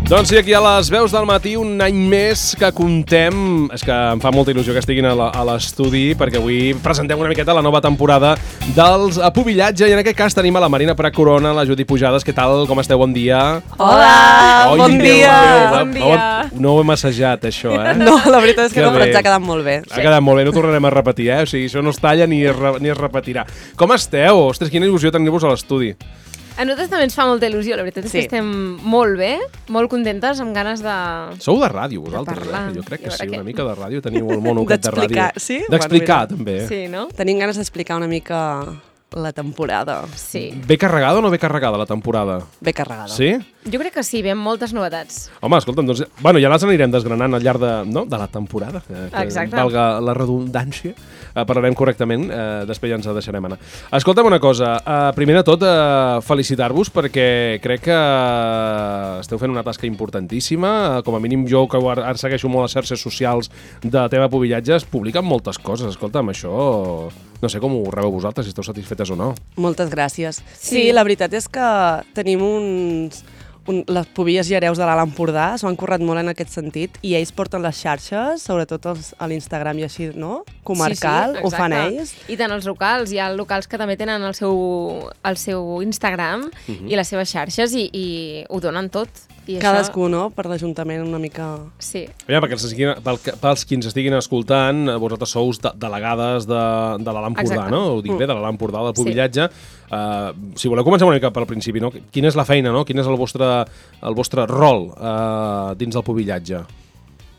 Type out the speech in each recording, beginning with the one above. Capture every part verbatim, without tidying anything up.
Doncs sí, aquí a les veus del matí, un any més que contem. És que em fa molta il·lusió que estiguin a l'estudi, perquè avui presentem una miqueta la nova temporada dels Apubillatge, i en aquest cas tenim a la Marina Prat Corona, la Judit Pujades. Què tal? Com esteu? Bon dia. Hola, Oi, bon Déu dia. meu, Bon dia. No, no ho hem assajat, això, eh? No, la veritat és que, Que no, però bé. ens ha quedat molt bé. Ha quedat molt bé, no tornarem a repetir, eh? O sigui, això no es talla ni es, re, ni es repetirà. Com esteu? Ostres, quina il·lusió tenir-vos a l'estudi. A nosaltres també ens fa molta il·lusió, la veritat és Sí. que estem molt bé, molt contentes, amb ganes de... Sou de ràdio, vosaltres, parlar. eh? Jo crec que I a veure sí, què. una mica de ràdio. Teniu el mono aquest de ràdio. D'explicar, sí? D'explicar, Bueno, també. Sí, no? Tenim ganes d'explicar una mica la temporada. Sí. Ve carregada o no ve carregada la temporada? Ben carregada. Sí? Jo crec que sí, ve amb moltes novetats. Home, escolta'm, doncs, bueno, ja les anirem desgranant al llarg de, no? de la temporada, eh, que Exacte. valga la redundància. Eh, parlarem correctament, eh, després ja ens deixarem anar. Escolta'm una cosa, eh, primer de tot, eh, felicitar-vos perquè crec que esteu fent una tasca importantíssima. Eh, com a mínim jo, que ara ara segueixo molt les xarxes socials de tema Apubillatge, es publiquen moltes coses. Escolta'm, això... No sé com ho rebeu vosaltres, si esteu satisfetes o no. Moltes gràcies. Sí, Sí. la veritat és que tenim uns... Un, les Pubilles i Hereus de l'Alt Empordà s'ho han currat molt en aquest sentit i ells porten les xarxes, sobretot els, a l'Instagram i així, no? Comarcal, sí, sí, ho fan exacte. ells. I tant els locals, hi ha locals que també tenen el seu, el seu Instagram Mhm. i les seves xarxes i, i ho donen tot. I Cadascú, no? Per l'Ajuntament una mica... Això, sí. Ja, perquè els, estiguin, pel, pels qui ens estiguin escoltant, eh, vosaltres sou de, delegades de, de l'Alt Empordà, Exacte. no? Ho dic bé, de l'Alt Empordà, del Pubillatge. Sí. Uh, si voleu començar una mica pel principi, no? Quina és la feina, no? Quin és el vostre, el vostre rol uh, dins del Pubillatge?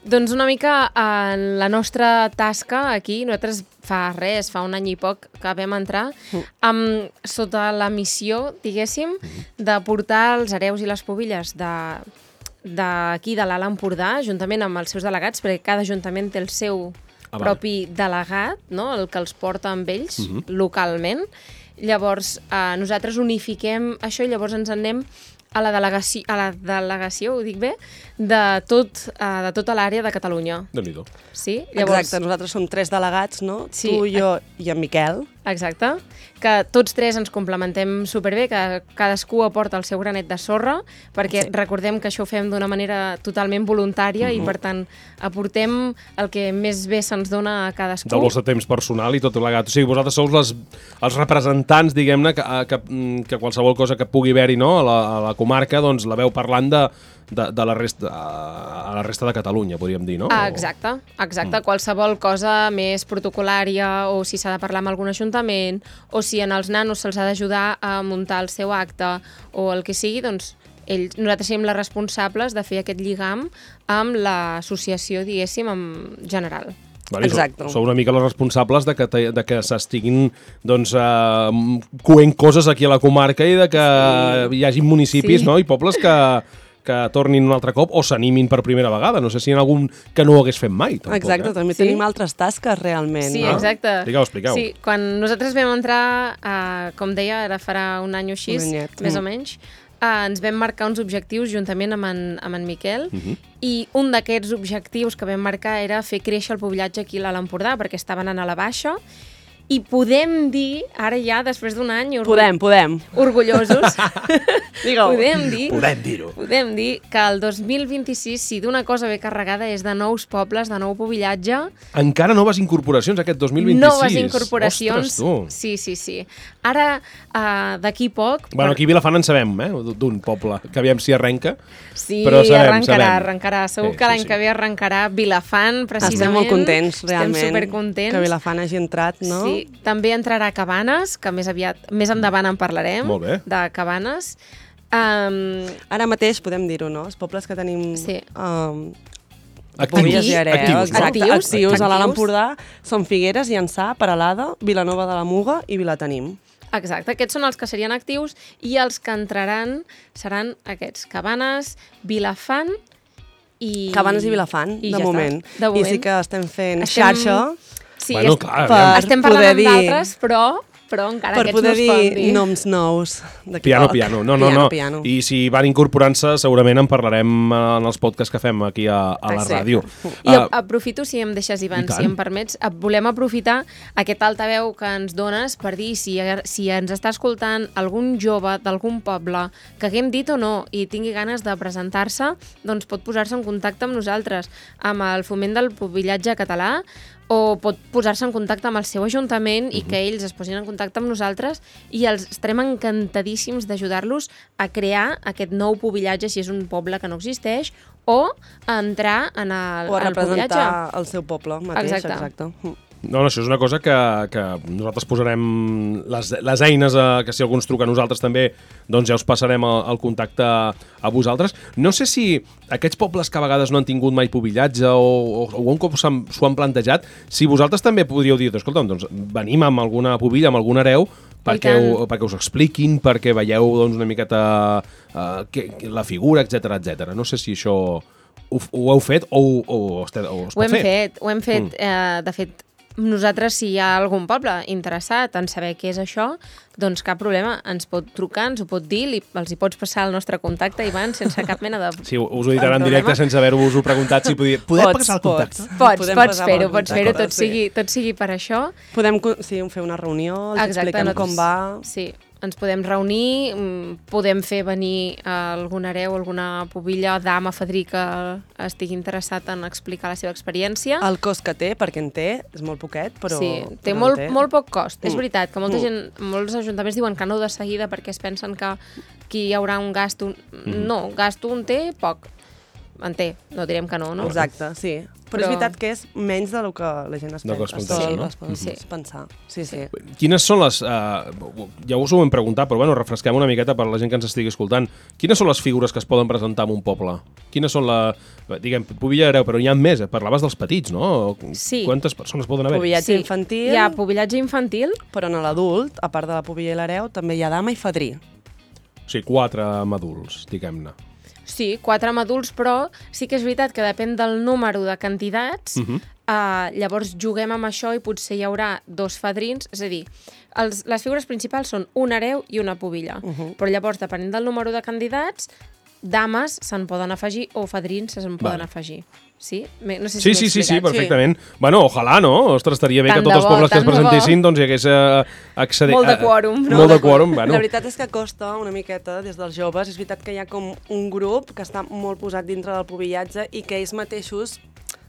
Doncs una mica en la nostra tasca aquí, nosaltres fa res, fa un any i poc que vam entrar, amb, sota la missió, diguéssim, de portar els hereus i les pubilles de d'aquí, de l'Alt Empordà, juntament amb els seus delegats, perquè cada ajuntament té el seu Ah, vale. propi delegat, no? El que els porta amb ells localment. Llavors, eh, nosaltres unifiquem això i llavors ens en anem a la delegació, a la delegació, ho dic bé, de, tot, uh, de tota l'àrea de Catalunya. Déu-n'hi-do. Sí? Exacte, nosaltres som tres delegats, no? Sí. Tu, jo i en Miquel. Exacte, que tots tres ens complementem superbé, que cadascú aporta el seu granet de sorra, perquè Sí. recordem que això ho fem d'una manera totalment voluntària i, per tant, aportem el que més bé se'ns dona a cadascú. Del vostre temps personal i tot plegat. O sigui, vosaltres sou les, els representants, diguem-ne, que, que, que qualsevol cosa que pugui haver-hi, no? a, la, a la comarca, doncs la veu parlant de, de, de la resta, a la resta de Catalunya, podríem dir, no? Ah, exacte, exacte. Mm. Qualsevol cosa més protocolària o si s'ha de parlar amb algun ajuntament o si en els nanos se'ls ha d'ajudar a muntar el seu acte o el que sigui, doncs ells, nosaltres som les responsables de fer aquest lligam amb l'associació, diguéssim, en general. Vale, Exacte. Sou, sou una mica les responsables de que, te, de que s'estiguin doncs, uh, coent coses aquí a la comarca i de que sí. hi hagi municipis, Sí. no? I pobles que, que tornin un altre cop o s'animin per primera vegada. No sé si hi ha algun que no ho hagués fet mai. Tampoc, Exacte, eh? també Sí. tenim altres tasques realment. Sí, no? exacte. Expliqueu, expliqueu. Sí, quan nosaltres vam entrar, uh, com deia, ara farà un any o així, Un anyet. més Mm. o menys, uh, ens vam marcar uns objectius juntament amb en, amb en Miquel, Uh -huh. i un d'aquests objectius que vam marcar era fer créixer el pubillatge aquí a l'Alt Empordà, perquè estava anant a la baixa, i podem dir, ara ja, després d'un any, orgu- Podem, podem. orgullosos, Digue-ho. podem dir, Podem dir-ho. podem dir que el dos mil vint-i-sis, si d'una cosa ve carregada, és de nous pobles, de nou pubillatge, Encara noves incorporacions aquest dos mil vint-i-sis. noves incorporacions. Ostres, tu. Sí, sí, sí. Ara, uh, d'aquí poc... Bueno, aquí a Vilafant en sabem, eh? d'un poble, que aviam si arrenca. Sí, però sabem, arrencarà, sabem. arrencarà. Segur Sí, que sí, l'any sí. que ve arrencarà Vilafant, precisament. Estem molt contents, realment, Estem supercontents. que Vilafant hagi entrat, no? Sí, també entrarà Cabanes, que més aviat, més endavant en parlarem. Molt bé. De Cabanes. Um, Ara mateix podem dir-ho, no? Els pobles que tenim... Sí. Um, Actius. Pubilles i Hereus, Actius, no? exacte, Actius, actius a l'Alt actius. Empordà són Figueres, Llançà, Peralada, Vilanova de la Muga i Vilatenim. exacte, aquests són els que serien actius i els que entraran seran aquests, Cabanes, Vilafant i... Cabanes i Vilafant, i de, ja moment. està, de moment. I sí que estem fent Estem- xarxa Sí, Bueno, est- clar, per aviam. estem poder parlant amb dir... d'altres, però però encara Per aquests poder no es poden dir dir. noms nous. Piano, piano. No, no, piano, no. Piano. I si van incorporant-se, segurament en parlarem en els podcasts que fem aquí a, a la Ah, sí. ràdio. I Uh, aprofito, si em deixes, Ivan, I tant. si em permets, eh, volem aprofitar aquest altaveu que ens dones per dir si, si ens està escoltant algun jove d'algun poble que haguem dit o no i tingui ganes de presentar-se, doncs pot posar-se en contacte amb nosaltres, amb el foment del pubillatge català, o pot posar-se en contacte amb el seu ajuntament i que ells es posin en contacte amb nosaltres i els estarem encantadíssims d'ajudar-los a crear aquest nou pubillatge si és un poble que no existeix o a entrar en el, O a en el pubillatge. representar el seu poble mateix. Exacte. Exacte. No, no, això és una cosa que, que nosaltres posarem les, les eines, a, que si algú ens truca a nosaltres també, doncs ja us passarem el, el contacte a vosaltres. No sé si aquests pobles que a vegades no han tingut mai pubillatge o, o, o un cop s'ho han, han plantejat, si vosaltres també podríeu dir, escolta'm, doncs venim amb alguna pubilla, amb algun hereu, perquè, ho, perquè us expliquin, perquè veieu doncs, una miqueta uh, que, que la figura, etcètera, etcètera. No sé si això ho, ho heu fet o, o, o, es, o es Ho pot hem fer. fet, ho hem fet. Mm. Eh, de fet, nosaltres, si hi ha algun poble interessat en saber què és això, doncs cap problema, ens pot trucar, ens ho pot dir, li, els hi pots passar el nostre contacte, Ivan, sense cap mena de... Sí, us ho diran en directe sense haver-vos-ho preguntat. Si podia... Podem passar el contacte? Pots, Podem pots passar fer-ho, el pots fer-ho, tot, contacte, sí. sigui, tot sigui per això. Podem sí, fer una reunió, els Exacte, expliquem nosaltres- com va. Sí, ens podem reunir, mm, podem fer venir algun hereu, alguna pubilla, dama, fadrí que estigui interessat en explicar la seva experiència. El cost que té, perquè en té, és molt poquet, però... Sí, té però en molt, molt poc cost. Mm. És veritat que molta Mm. gent, molts ajuntaments diuen que no de seguida perquè es pensen que aquí hi haurà un gasto. Mm. No, gasto en té poc. En té, no direm que no, no? Exacte, sí. Però, Però- és veritat que és menys del que la gent es, Del que es pensa. pensa, sol no? es pot Sí. pensar. Sí, sí. Quines són les... Uh, ja us ho hem preguntat, però bueno, refresquem una miqueta per la gent que ens estigui escoltant. Quines són les figures que es poden presentar en un poble? Quines són la... Diguem, pubilla hereu, però n'hi ha més. Eh? Parlaves dels petits, no? Sí. Quantes persones poden haver? Pubillatge infantil, Hi ha pubillatge infantil, però en l'adult, a part de la pubilla i l'hereu, també hi ha dama i fadrí. O sigui, quatre amb adults, diguem-ne. sí, quatre amb adults, però sí que és veritat que depèn del número de candidats. Uh -huh. Uh, llavors juguem amb això i potser hi haurà dos fadrins, és a dir, els, les figures principals són un hereu i una pubilla, Uh -huh. però llavors, depenent del número de candidats, dames se'n poden afegir o fadrins se'n poden Vale. afegir. Sí? Me- No sé si Sí, m'he sí, sí, sí, explicat. perfectament. Bueno, ojalà, no? Ostres, estaria bé Tant que tots de els bo, pobles que es tant de bo. presentessin doncs hi hagués eh, accedi... Molt de eh, quòrum, no? Molt de quòrum, bueno. La veritat és que costa una miqueta des dels joves. És veritat que hi ha com un grup que està molt posat dintre del pubillatge i que ells mateixos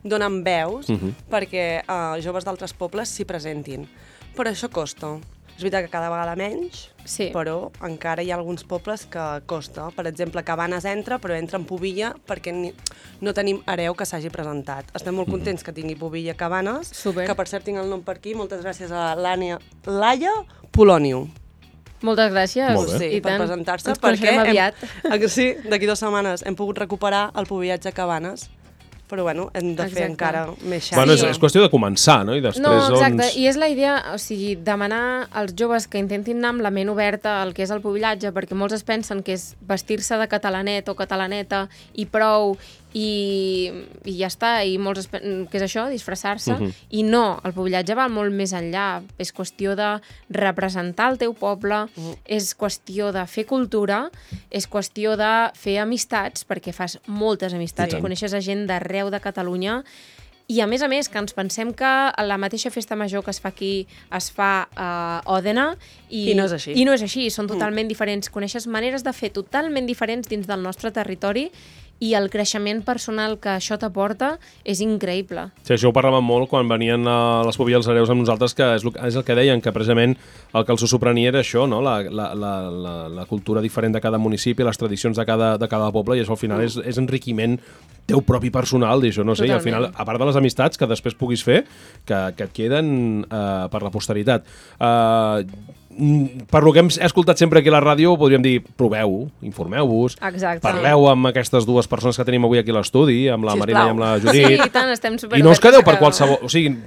donen veus Uh -huh. perquè uh, joves d'altres pobles s'hi presentin. Però això costa. És veritat que cada vegada menys, Sí. però encara hi ha alguns pobles que costa. Per exemple, Cabanes entra, però entra en pubilla perquè ni, no tenim hereu que s'hagi presentat. Estem molt contents que tingui pubilla Cabanes, Super. que per cert tinc el nom per aquí. Moltes gràcies a l'Ània Laia Polònio. Moltes gràcies. Molt bé. Sí, I per tant. presentar-se, Ens perquè coneixerem aviat. Hem, sí, d'aquí dues setmanes hem pogut recuperar el pubillatge Cabanes, però bueno, hem de fer Exacte. encara més xarxa. Bueno, és, és qüestió de començar, no? I després, No, exacte, doncs... i és la idea, o sigui, demanar als joves que intentin anar amb la ment oberta al que és el pubillatge, perquè molts es pensen que és vestir-se de catalanet o catalaneta i prou, i, i ja està, i molts es pen... que és això, disfressar-se, Uh -huh. i no, el pubillatge va molt més enllà, és qüestió de representar el teu poble, uh -huh. és qüestió de fer cultura, és qüestió de fer amistats, perquè fas moltes amistats, Sí. coneixes a gent d'arreu de Catalunya, i a més a més que ens pensem que la mateixa festa major que es fa aquí es fa a Òdena i, I no és així. I no és així, són totalment diferents. Coneixes maneres de fer totalment diferents dins del nostre territori i el creixement personal que això t'aporta és increïble. Sí, això ho parlàvem molt quan venien a les pubilles als hereus amb nosaltres, que és el, és el que deien, que precisament el que els sorprenia era això, no? la, la, la, la, la cultura diferent de cada municipi, les tradicions de cada, de cada poble, i això al final és, és enriquiment teu propi personal, i això no sé, i al final, a part de les amistats que després puguis fer, que, que et queden uh, per la posteritat. Uh, per lo que hem escoltat sempre aquí a la ràdio, podríem dir, proveu, informeu-vos, Exacte. parleu amb aquestes dues persones que tenim avui aquí a l'estudi, amb la Sisplau. Marina i amb la Sí, Judit, i tant, estem super i no us quedeu per qualsevol... O sigui,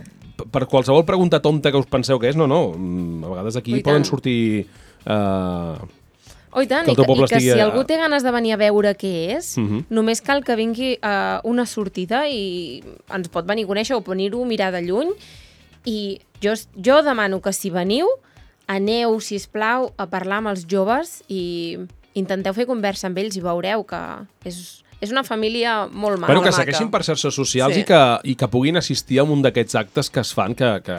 per qualsevol pregunta tonta que us penseu que és, no, no. A vegades aquí I poden tant. sortir... Uh, Oh, i tant, que i el teu que, poble i que estigui si a- algú té ganes de venir a veure què és, Uh -huh. només cal que vingui a una sortida i ens pot venir a conèixer o venir-ho a mirar de lluny. I jo, jo demano que si veniu, aneu, sisplau, a parlar amb els joves i intenteu fer conversa amb ells i veureu que és, és una família molt maca. Bueno, que maca. segueixin per xarxes socials Sí. i, que, i que puguin assistir a un d'aquests actes que es fan, que... que...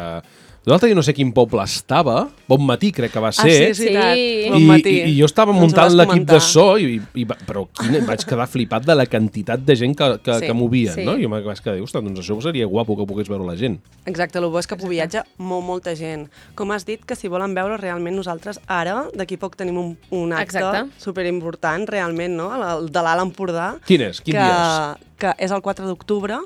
L'altre dia no sé quin poble estava, Bon Matí crec que va ser, Ah, sí, sí, tant. Sí. Bon I, matí. i, i jo estava Ens ho muntant vas l'equip de comentar. so, i, i, va- però quina, vaig quedar flipat de la quantitat de gent que, que, Sí, que movien, sí. no? I jo em vaig quedar, ostres, doncs això seria guapo que pogués veure la gent. Exacte, el bo és que viatja molt, molta gent. Com has dit, que si volen veure realment nosaltres ara, d'aquí poc tenim un, un acte Exacte. superimportant, realment, no? El de l'Alt Empordà. Quin és? Quin que, dia és? Que és el quatre d'octubre,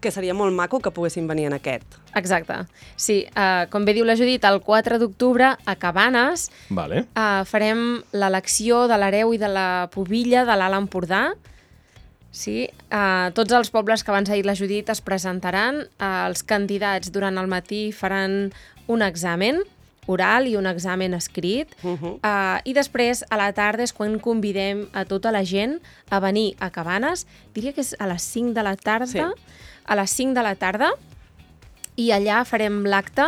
que seria molt maco que poguessin venir en aquest. Exacte. Sí, uh, com bé diu la Judit, el quatre d'octubre a Cabanes Vale. uh, farem l'elecció de l'hereu i de la pubilla de l'Alt Empordà. Sí, uh, tots els pobles que abans ha dit la Judit es presentaran. Uh, els candidats durant el matí faran un examen oral i un examen escrit. Uh -huh. Uh, I després, a la tarda, és quan convidem a tota la gent a venir a Cabanes. Diria que és a les cinc de la tarda. Sí. A les cinc de la tarda. I allà farem l'acte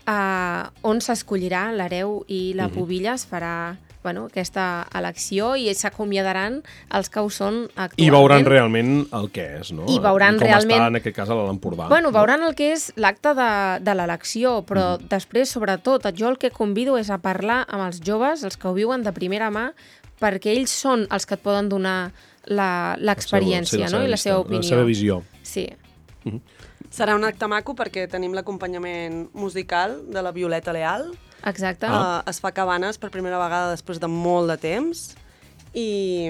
uh, on s'escollirà l'hereu i la pubilla. Es farà bueno, aquesta elecció i s'acomiadaran els que ho són actualment. I veuran realment el que és, no? I veuran I com realment- està, en aquest cas, a l'Empordà. Bueno, veuran el que és l'acte de, de l'elecció, però mm. després, sobretot, jo el que convido és a parlar amb els joves, els que ho viuen de primera mà, perquè ells són els que et poden donar la- l'experiència, sí, no? I la vista, seva opinió. La seva visió. Sí. Serà un acte maco perquè tenim l'acompanyament musical de la Violeta Leal. Exacte. Uh, es fa a Cabanes per primera vegada després de molt de temps i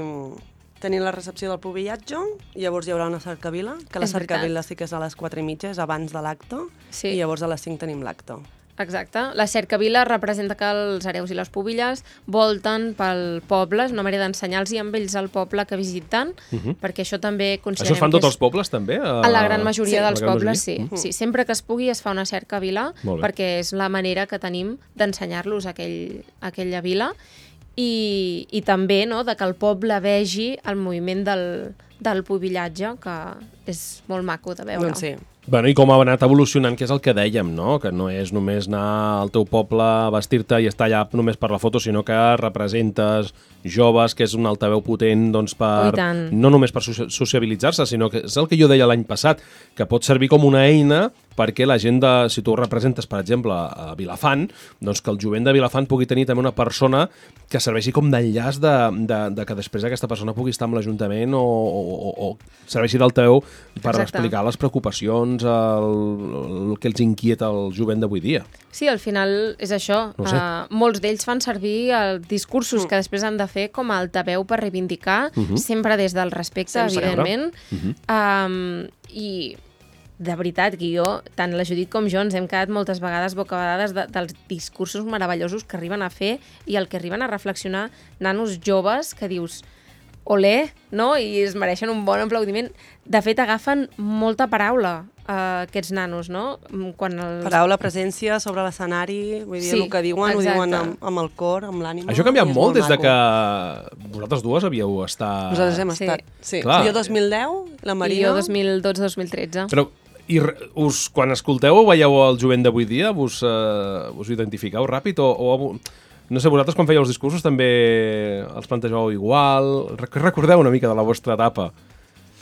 tenim la recepció del pubillatge i llavors hi haurà una cercavila, que la És veritat. cercavila sí que és a les quatre i mitja, és abans de l'acte, Sí. i llavors a les cinc tenim l'acte. Exacte. La cercavila representa que els hereus i les pubilles volten pel poble, és una manera d'ensenyar-los amb ells el poble que visiten, uh-huh. perquè això també considerem Això es fan que tots és... els pobles, també? A la gran majoria Sí. dels La gran pobles, majoria? sí. Mm. sí. Sempre que es pugui es fa una cercavila, Molt bé. perquè és la manera que tenim d'ensenyar-los aquell, aquella vila i, i també no, de que el poble vegi el moviment del, del pubillatge, que és molt maco de veure. Doncs sí. Bueno, i com ha anat evolucionant, que és el que dèiem, no? Que no és només anar al teu poble a vestir-te i estar allà només per la foto, sinó que representes joves, que és un altaveu potent doncs, per, Oh, i tant. no només per soci- sociabilitzar-se, sinó que és el que jo deia l'any passat, que pot servir com una eina perquè la gent, de, si tu representes, per exemple, a Vilafant, doncs que el jovent de Vilafant pugui tenir també una persona que serveixi com d'enllaç de, de, de que després aquesta persona pugui estar amb l'Ajuntament o, o, o serveixi d'altaveu per Exacte. explicar les preocupacions, el, el que els inquieta el jovent d'avui dia. Sí, al final és això. No ho sé. Uh, molts d'ells fan servir els discursos mm. que després han de fer com a altaveu per reivindicar, uh -huh. sempre des del respecte, Sempre. evidentment. Uh -huh. um, I de veritat que jo, tant la Judit com jo, ens hem quedat moltes vegades bocabadades de, dels discursos meravellosos que arriben a fer i el que arriben a reflexionar nanos joves que dius olé, no? I es mereixen un bon aplaudiment. De fet, agafen molta paraula, uh, aquests nanos, no? Quan els... Paraula, presència sobre l'escenari, vull dir, Sí, el que diuen, exacte. ho diuen amb, amb el cor, amb l'ànima. Això ha canviat i és molt des de maco. que vosaltres dues havíeu estat... Nosaltres hem Sí. estat, sí. Clar. Jo dos mil deu, la Marina... I jo dos mil dotze dos mil tretze. Però i re- us, quan escolteu o veieu el jovent d'avui dia, vos, eh, us identifiqueu ràpid o, o... No sé, vosaltres quan fèieu els discursos també els plantejàveu igual? Rec- Recordeu una mica de la vostra etapa?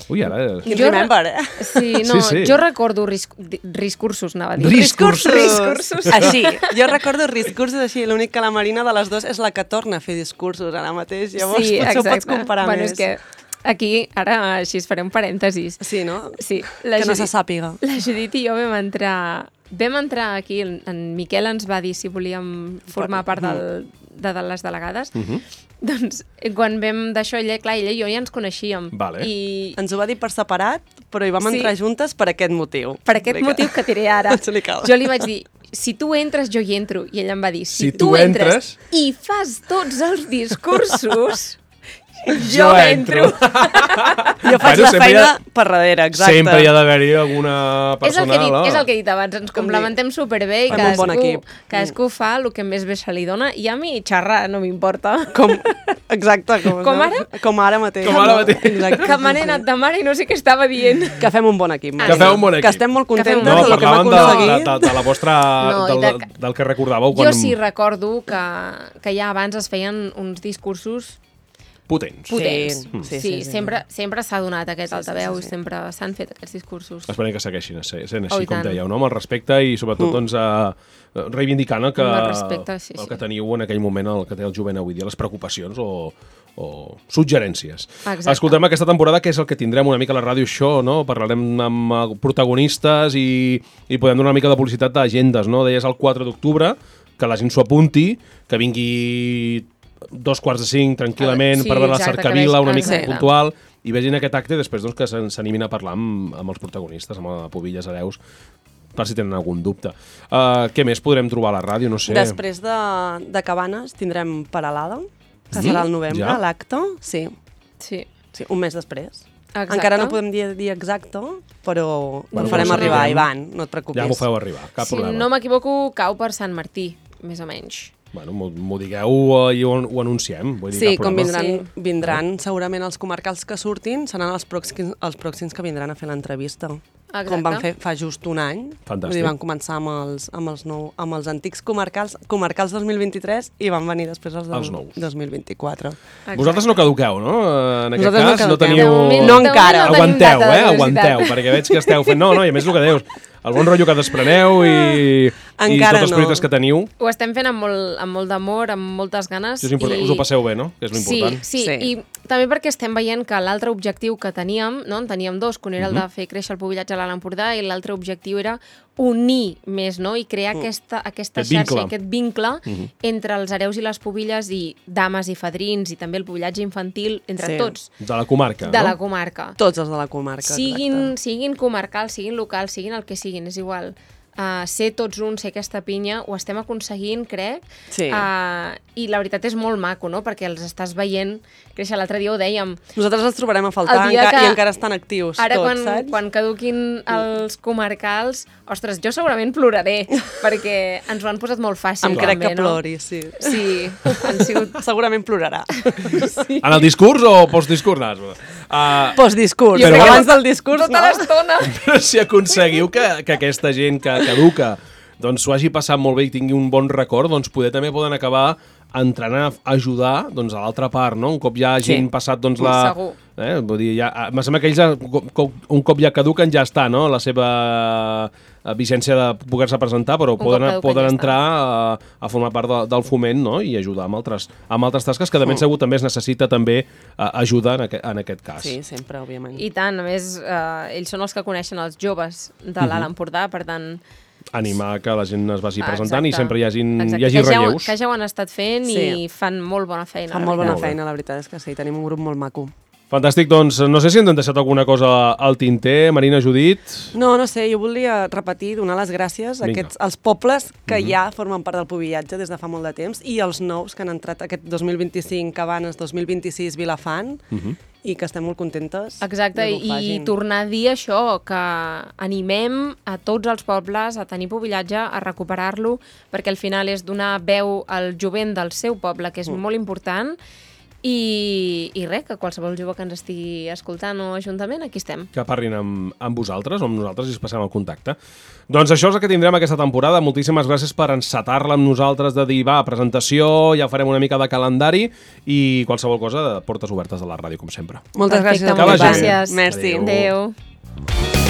Ui, ara... És... Quin Jo re- remember, eh? Sí, no, Sí, sí. jo recordo risc... di- discursos, anava a dir. Discursos. Discursos. Així, jo recordo discursos així, l'únic que la Marina de les dues és la que torna a fer discursos ara mateix, llavors sí, potser exacte. ho pots comparar bueno, més. És que aquí, ara així es faré un parèntesis. Sí, no? Sí, Que no se sàpiga. La Judit i jo vam entrar... Vam entrar aquí, en, en Miquel ens va dir si volíem formar part del, de, de les delegades. Uh -huh. Doncs quan vam d'això, ella, clar, ella i jo ja ens coneixíem. Vale. I Ens ho va dir per separat, però hi vam Sí. entrar juntes per aquest motiu. per aquest Explica. motiu que diré ara, Explica'l. jo li vaig dir, si tu entres, jo hi entro. I ella em va dir, si, Si tu tu entres entres- i fas tots els discursos, Jo entro. Jo faig Bueno, la sempre hi feina ha- per darrere, exacte. Sempre hi ha d'haver-hi alguna És el, persona... que he dit, no? és el que he dit abans, ens Com complementem superbé i Fem un bon cadascú, equip. cadascú fa el que més bé se li dona i a mi xerrar no m'importa. Com, exacte. Com, Com ara? Com ara mateix. Com ara mateix. Exacte. Que me n'he anat de mare i no sé què estava dient. Que fem un bon equip. Que feu un bon equip. Que estem molt Que fem contentes un No, bon del que hem parlàvem de, de, aconseguit. de, de la vostra... No, i del, de- del que recordàveu Jo quan... sí recordo que, que ja abans es feien uns discursos Potents. potents. Sí, sí, sí, sí, sí. sempre sempre s'ha donat aquest Sí, sí, altaveu sí, i sí. sempre s'han fet aquests discursos. Esperem que segueixin sent, sent Oh, així, i com tant. dèieu, no? Amb el respecte i sobretot Mm. doncs, eh, reivindicant el que, Amb el respecte, sí, el sí. que teniu en aquell moment, el que té el jovent avui dia, les preocupacions o, o suggerències. Exacte. Escoltem aquesta temporada, que és el que tindrem una mica a la ràdio show, no? Parlarem amb eh, protagonistes i, i podem donar una mica de publicitat d'agendes, no? Deies el quatre d'octubre, que la gent s'ho apunti, que vingui dos quarts de cinc tranquil·lament Sí, per veure la exacte, que cercavila vegi- una mica exacte. puntual i vegin aquest acte i després doncs, que s'an- s'animin a parlar amb, amb els protagonistes, amb la Pubilles Hereus, per si tenen algun dubte. Uh, què més podrem trobar a la ràdio? No sé. Després de, de Cabanes tindrem Paralada, que serà al novembre, Ja? l'acte. Sí, Sí. sí, un mes després. Exacte. Encara no podem dir, dir exacte, però Bueno, ho farem ho arribar, sabrem. Ivan, no et preocupis. Ja m'ho feu arribar, cap Si problema. no m'equivoco, cau per Sant Martí, més o menys. Bueno, m'ho m'ho digueu uh, i ho, ho anunciem. Vull dir, Sí, cap com problema. vindran, Sí. vindran segurament els comarcals que surtin, seran els pròxims, els pròxims que vindran a fer l'entrevista. Exacte. Com van fer fa just un any. Fantàstic. Vull dir, van començar amb els, amb els, nou, amb els antics comarcals, comarcals dos mil vint-i-tres i van venir després els, del Els nous. dos mil vint-i-quatre. Exacte. Vosaltres no caduqueu, no? Eh, En aquest Nosaltres no cas no, caduquem. teniu... De moment- No de moment encara. no tenim Aguanteu, data de eh? velocitat. Aguanteu, perquè veig que esteu fent... No, no, i a més el que deus, el bon rotllo que despreneu i, i Encara tots els no. projectes que teniu, Ho estem fent amb molt, amb molt d'amor, amb moltes ganes. això és important. i- Us ho passeu bé, no? Que és l'important. Sí, sí, Sí. i també perquè estem veient que l'altre objectiu que teníem, no? En teníem dos, que un era el Mhm. de fer créixer el pubillatge a l'Alt Empordà i l'altre objectiu era unir més, no? I crear aquesta, aquesta Aquest xarxa, vincle. i aquest vincle Mhm. entre els hereus i les pubilles i dames i fadrins i també el pubillatge infantil, entre Sí. tots, De la comarca, de no? la comarca. Tots els de la comarca, Siguin, exacte. siguin comarcals, siguin locals, siguin el que siguin, és igual. Uh, ser tots uns, ser aquesta pinya, ho estem aconseguint, crec. Sí. Uh, I la veritat és molt maco, no? Perquè els estàs veient créixer. L'altre dia ho dèiem. Nosaltres els trobarem a faltar El dia enca que- i encara estan actius Ara, tots, quan, saps? quan caduquin els comarcals, ostres, jo segurament ploraré, perquè ens ho han posat molt fàcil. Em crec també, que no? plori, sí. Sí, han sigut... Segurament plorarà. En el discurs o postdiscurs? No, uh, Postdiscurs, Però però bueno, abans del discurs, Tota no? l'estona. però si aconseguiu que, que aquesta gent que caduca doncs s'ho hagi passat molt bé i tingui un bon record, doncs poder també poden acabar entrant a ajudar doncs, a l'altra part, no? Un cop ja hagin Sí. passat doncs, la... Segur. Eh? Vull dir, ja, em sembla que ells, ja, co- un cop ja caduquen, ja està, no? La seva eh, vigència de poder-se presentar, però cop poden, caduquen, poden ja entrar a, a formar part de, del foment, no? I ajudar amb altres, amb altres tasques que de ben segur també es necessita també eh, ajuda en aquest, en aquest cas. Sí, sempre, òbviament. I tant, a més, eh, ells són els que coneixen els joves de l'Alt Empordà, per tant... Animar que la gent es vagi Ah, presentant i exacte. sempre hi hagi, Exacte, hi hagi que ja ho- relleus. Que ja ho han estat fent Sí. i fan molt bona feina. Fan la molt bona Molt bé. feina, la veritat és que sí. Tenim un grup molt maco. Fantàstic, doncs no sé si ens han deixat alguna cosa al tinter, Marina, Judit. No, no sé, jo volia repetir, donar les gràcies a Vinga. aquests, als pobles que mm -hmm. ja formen part del pubillatge des de fa molt de temps i els nous que han entrat aquest dos mil vint-i-cinc, Cabanes, dos mil vint-i-sis, Vilafant, Uh -huh. i que estem molt contentes Exacte, de que ho i facin. tornar a dir això, que animem a tots els pobles a tenir pubillatge, a recuperar-lo, perquè al final és donar veu al jovent del seu poble, que és mm. molt important, i, i res, que qualsevol jove que ens estigui escoltant o ajuntament, aquí estem. Que parlin amb, amb vosaltres o amb nosaltres i es passem el contacte. Doncs això és el que tindrem aquesta temporada. Moltíssimes gràcies per encetar-la amb nosaltres, de dir, va, presentació, ja farem una mica de calendari i qualsevol cosa, de portes obertes de la ràdio, com sempre. Moltes Perfecte, gràcies. Que vagi moltes bé. gràcies. Merci. Adéu. Adéu.